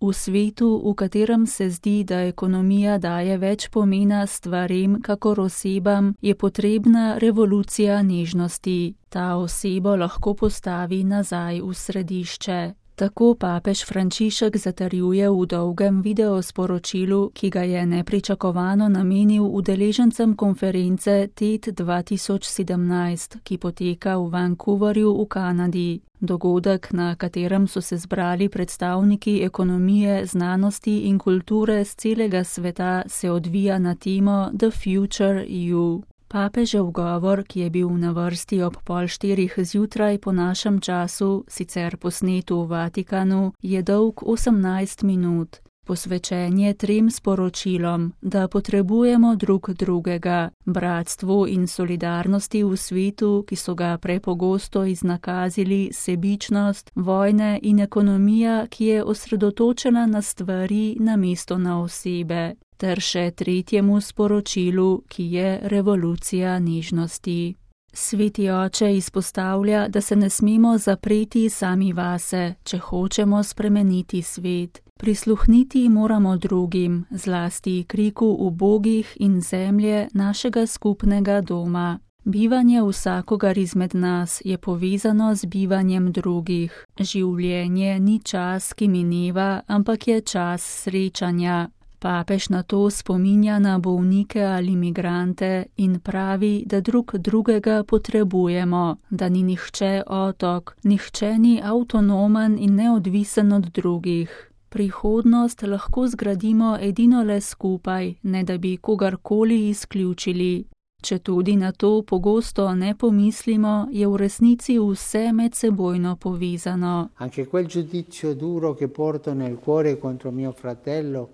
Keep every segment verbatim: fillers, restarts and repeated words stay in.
V svetu, v katerem se zdi, da ekonomija daje več pomena stvarem kakor osebam, je potrebna revolucija nežnosti. Ta osebo lahko postavi nazaj v središče. Tako papež Frančišek zatrjuje v dolgem videosporočilu, ki ga je nepričakovano namenil udeležencem konference T E D dva tisoč sedemnajst, ki poteka v Vancouverju v Kanadi. Dogodek, na katerem so se zbrali predstavniki ekonomije, znanosti in kulture z celega sveta, se odvija na temo The Future E U. Papežev govor, ki je bil na vrsti ob pol štirih zjutraj po našem času, sicer posnet v Vatikanu, je dolg osemnajst minut. Posvečen je trem sporočilom, da potrebujemo drug drugega, bratstvu in solidarnosti v svetu, ki so ga prepogosto iznakazili sebičnost, vojne in ekonomija, ki je osredotočena na stvari namesto na osebe, ter še tretjemu sporočilu, ki je revolucija nežnosti. Sveti oče izpostavlja, da se ne smemo zapreti sami vase, če hočemo spremeniti svet. Prisluhniti moramo drugim, zlasti kriku ubogih in zemlje našega skupnega doma. Bivanje vsakogar izmed nas je povezano z bivanjem drugih. Življenje ni čas, ki mineva, ampak je čas srečanja. Papež na to spominja na bolnike ali migrante in pravi, da drug drugega potrebujemo, da ni nihče otok, nihče ni avtonomen in neodvisen od drugih. Prihodnost lahko zgradimo edino le skupaj, ne da bi kogarkoli izključili. Če tudi na to pogosto ne pomislimo, je v resnici vse medsebojno povezano. Anche quel giudizio duro che porto nel cuore contro mio fratello.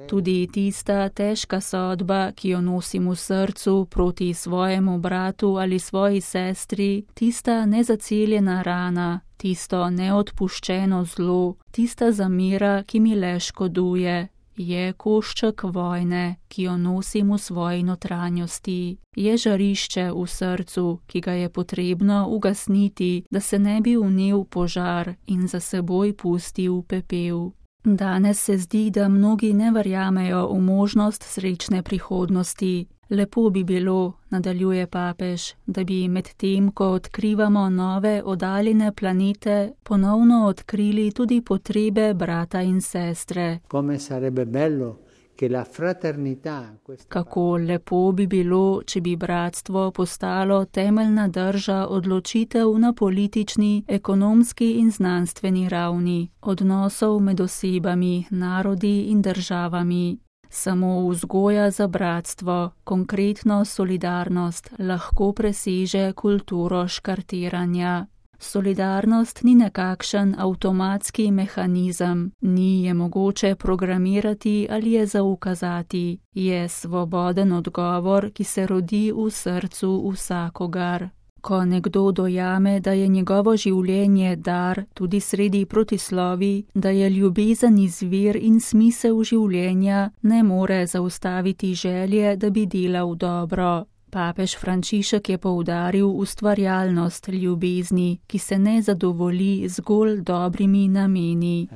Tudi tista težka sodba, ki jo nosim v srcu proti svojemu bratu ali svoji sestri, tista nezaceljena rana, tisto neodpuščeno zlo, tista zamera, ki mi le škoduje, je košček vojne, ki jo nosim v svoji notranjosti. Je žarišče v srcu, ki ga je potrebno ugasniti, da se ne bi vnel požar in za seboj pustil pepel. Danes se zdi, da mnogi ne verjamejo v možnost srečne prihodnosti. Lepo bi bilo, nadaljuje papež, da bi med tem, ko odkrivamo nove oddaljene planete, ponovno odkrili tudi potrebe brata in sestre. Come sarebbe bello che la fraternità. Kako lepo bi bilo, če bi bratstvo postalo temeljna drža odločitev na politični, ekonomski in znanstveni ravni, odnosov med osebami, narodi in državami. Samo vzgoja za bratstvo, konkretno solidarnost, lahko preseže kulturo škartiranja. Solidarnost ni nekakšen avtomatski mehanizem, ni je mogoče programirati ali je zaukazati, je svoboden odgovor, ki se rodi v srcu vsakogar. Ko nekdo dojame, da je njegovo življenje dar, tudi sredi protislovi, da je ljubezen izvir in smisel življenja, ne more zaustaviti želje, da bi delal dobro. Papež Frančišek je poudaril ustvarjalnost ljubezni, ki se ne zadovolji zgolj dobrimi nameni.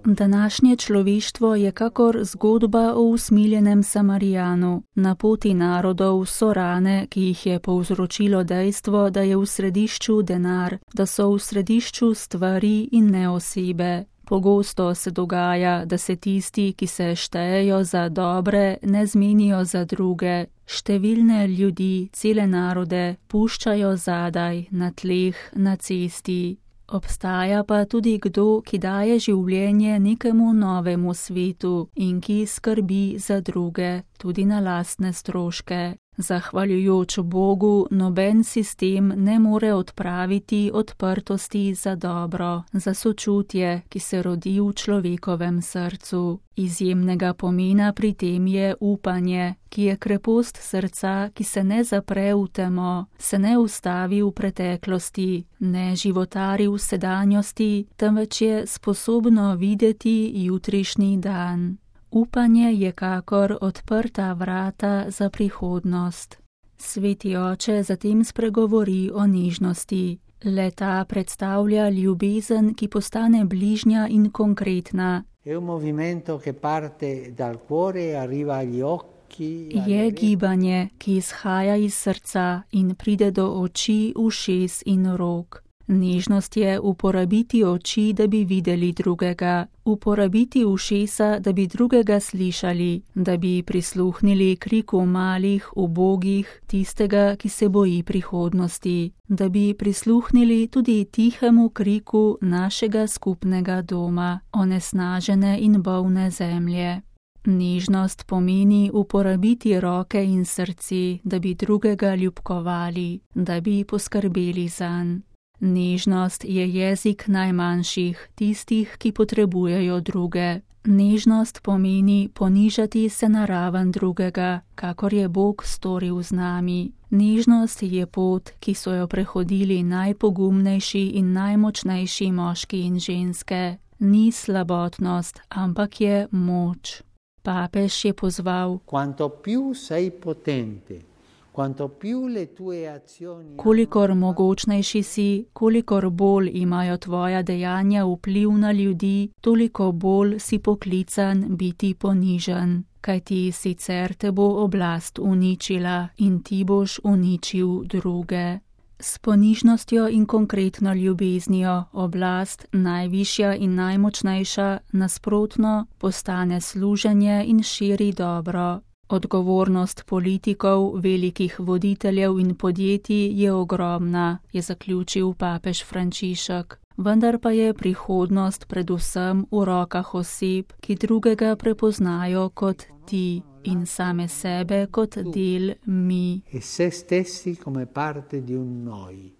Današnje človeštvo je kakor zgodba o usmiljenem Samarijanu. Na poti narodov so rane, ki jih je povzročilo dejstvo, da je v središču denar, da so v središču stvari in ne osebe. Pogosto se dogaja, da se tisti, ki se štejejo za dobre, ne zmenijo za druge. Številne ljudi, cele narode, puščajo zadaj, na tleh, na cesti. Obstaja pa tudi kdo, ki daje življenje nekemu novemu svetu in ki skrbi za druge, tudi na lastne stroške. Zahvaljujoč Bogu, noben sistem ne more odpraviti odprtosti za dobro, za sočutje, ki se rodi v človekovem srcu. Izjemnega pomena pri tem je upanje, ki je krepost srca, ki se ne zapre v temo, se ne ustavi v preteklosti, ne životari v sedanjosti, temveč je sposobno videti jutrišnji dan. Upanje je kakor odprta vrata za prihodnost. Sveti oče zatem spregovori o nežnosti. Le-ta predstavlja ljubezen, ki postane bližnja in konkretna. È un movimento che parte dal cuore e arriva agli occhi. Je gibanje, ki izhaja iz srca in pride do oči, ušes in rok. Nežnost je uporabiti oči, da bi videli drugega, uporabiti ušesa, da bi drugega slišali, da bi prisluhnili kriku malih, ubogih, tistega, ki se boji prihodnosti, da bi prisluhnili tudi tihemu kriku našega skupnega doma, onesnažene in bolne zemlje. Nežnost pomeni uporabiti roke in srce, da bi drugega ljubkovali, da bi poskrbeli zanj. Nežnost je jezik najmanjših, tistih, ki potrebujejo druge. Nežnost pomeni ponižati se na raven drugega, kakor je Bog storil z nami. Nežnost je pot, ki so jo prehodili najpogumnejši in najmočnejši moški in ženske. Ni slabotnost, ampak je moč. Papež je pozval: Quanto più sei potente, kolikor mogočnejši si, kolikor bolj imajo tvoja dejanja vpliv na ljudi, toliko bolj si poklican biti ponižen, kajti sicer te bo oblast uničila in ti boš uničil druge. S ponižnostjo in konkretno ljubeznijo oblast, najvišja in najmočnejša, nasprotno, postane služenje in širi dobro. Odgovornost politikov, velikih voditeljev in podjetij je ogromna, je zaključil papež Frančišek. Vendar pa je prihodnost predvsem v rokah oseb, ki drugega prepoznajo kot ti in same sebe kot del mi. E se stessi come parte di un noi.